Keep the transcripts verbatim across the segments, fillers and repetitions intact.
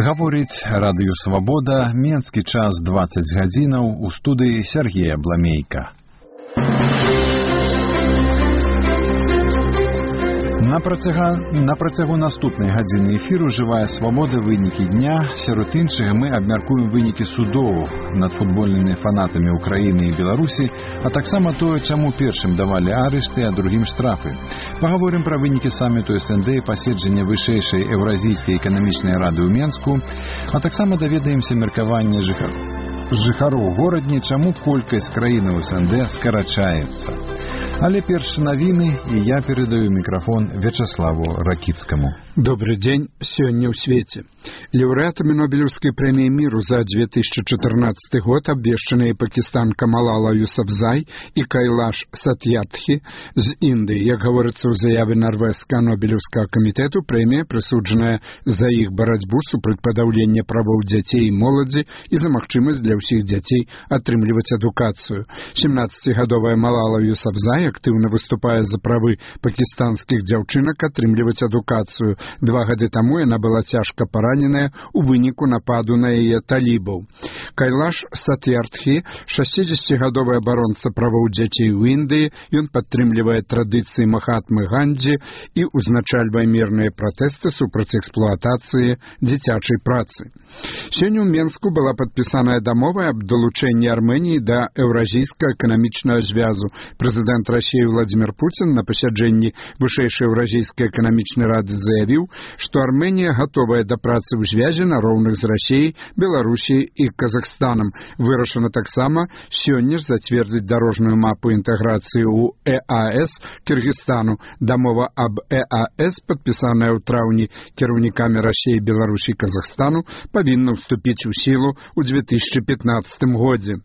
Гаворыць радыё «Свабода», менскі час дваццаць гадзінаў, у студыі Сергея Бламейка. На працягу, на працягу наступнай гадзіны эфіру «Жывая свабода. Вынікі дня». Сярод іншага мы абмяркуем вынікі судоў над футбольнымі фанатамі Украіны і Беларусі, а таксама тое, чаму першым давалі арышты, а другім штрафы. Пагаворым пра вынікі саміту эс эн дэ і паседжання вышэйшай Еўразійскай эканамічнай рады ў Менску, а таксама даведаемся меркаванне жыхар... жыхароў горадні, чаму колькасць краінаў эс эн дэ скарачаецца. Але перш навіны, і я перадаю мікрафон Вячаславу Ракіцкаму. Добрый день. Сегодня в свете. Лауреатами Нобелевской премии миру за две тысячи четырнадцатый год обвешченные пакистанка Малала Юсафзай и Кайлаш Сатьярдхи из Индии. Как говорится в заяве Норвежского Нобелевского комитету, премия присудженная за их борьбу супраць подавления правов детей и молоди и за магчимость для всех детей отрымліваць адукацию. семнадцатигадовая Малала Юсафзай активно выступая за правы пакистанских дзяўчынак атрымліваць адукацию. Два гады таму яна была цяжка параненая у выніку нападу на яе талібаў. Кайлаш Сатьярдхи, шестидесятигадовый абаронца правоў дзяцей у Індыі, ён падтрымлівае традыцыі Махатмы Гандзі і узначальвае мірныя пратэсты супраць эксплуатацыі дзіцячай працы. Сёння ў Менску была падпісаная дамова аб далучэнні Арменіі да Еўразійскага эканамічнага звязу. Прэзідэнт Расіі Владимир Путин на пасяджэнні вышэйшай Еўразійскай эканамічнай рады заявіў, што Арменія гатовая да працы ў звязе на роўных з Расіяй, Беларусіяй і Казахстанам. Вырашана таксама сёння ж зацвердзіць дарожную мапу інтэграцыі ў э а эс Кыргызстану. Дамова аб э а эс, падпісаная ў траўні кіраўнікамі Расіі, Беларусі і Казахстану, павінна ўступіць у сілу ў две тысячи пятнадцатым годзе.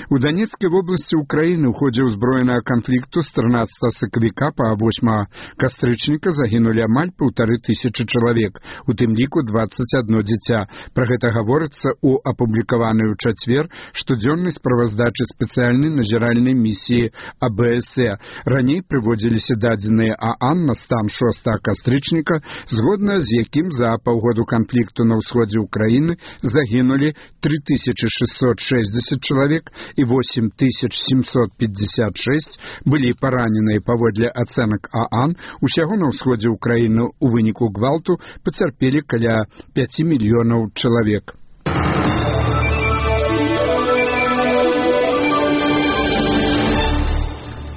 У Донецкой области Украины в ходе узброенного конфликту с тринадцатого сакавіка по восьмое кастрычніка загинули амаль полторы тысячи человек, у тым ліку двадцать одно дзіця. Про гэта гаворыцца у апублікаванай у чацвер штодзённай справаздачы спецыяльнай назіральнай місіі а бэ эс э. Раней прыводзіліся дадзеныя ААН на стан шостага кастрычніка, згодна з якім за паўгоду канфлікту на ўсходзе Украины загинули три тысячи шестьсот шестьдесят человек и восемь тысяч семьсот пятьдесят шесть были пораненыя паводле ацэнак ААН. Усяго на ўсходзе Украины у выніку гвалту пацярпелі каля пяти мільёнаў чалавек.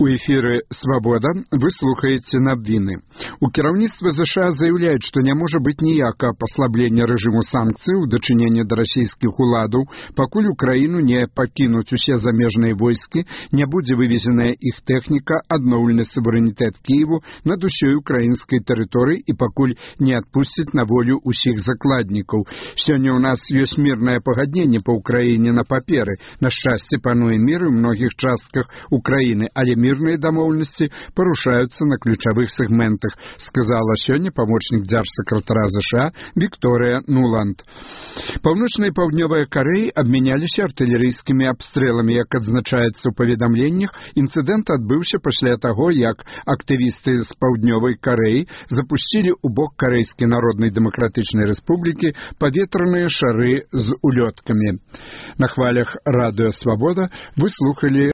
У эфіры «Свабода» вы слухаеце навіны. У кіраўніцтва ЗША заяўляюць, што не можа быць ніякага паслаблення рэжыму санкцый у дачыненні да расійскіх уладаў, пакуль Украіну не пакінуць усе замежныя войскі, не будзе вывезеная іх тэхніка, адноўлены суверэнітэт Кіеву над усёй украінскай тэрыторыі і пакуль не адпусцяць на волю ўсіх закладнікаў. Сёння ў нас ёсць мірнае пагадненне па Украіне на паперы. На шчасце пануе мір у многіх частках Украіны, але мір мирные домовленности порушаются на ключевых сегментах, сказала сёння помощник дзяржсакратара ЗША Виктория Нуланд. Паўночная і Паўднёвая Кореі абмяняліся артылерыйскімі абстрэлами. Як адзначаецца ў паведамленнях, інцыдэнт адбыўся пасля таго, як актывісты з Паўднёвай Карэі запусцілі ў бок Карэйскай Народнай Дэмакратычнай Рэспублікі паветраныя шары з улёткамі. На хвалях радыё «Свабода» вы слухали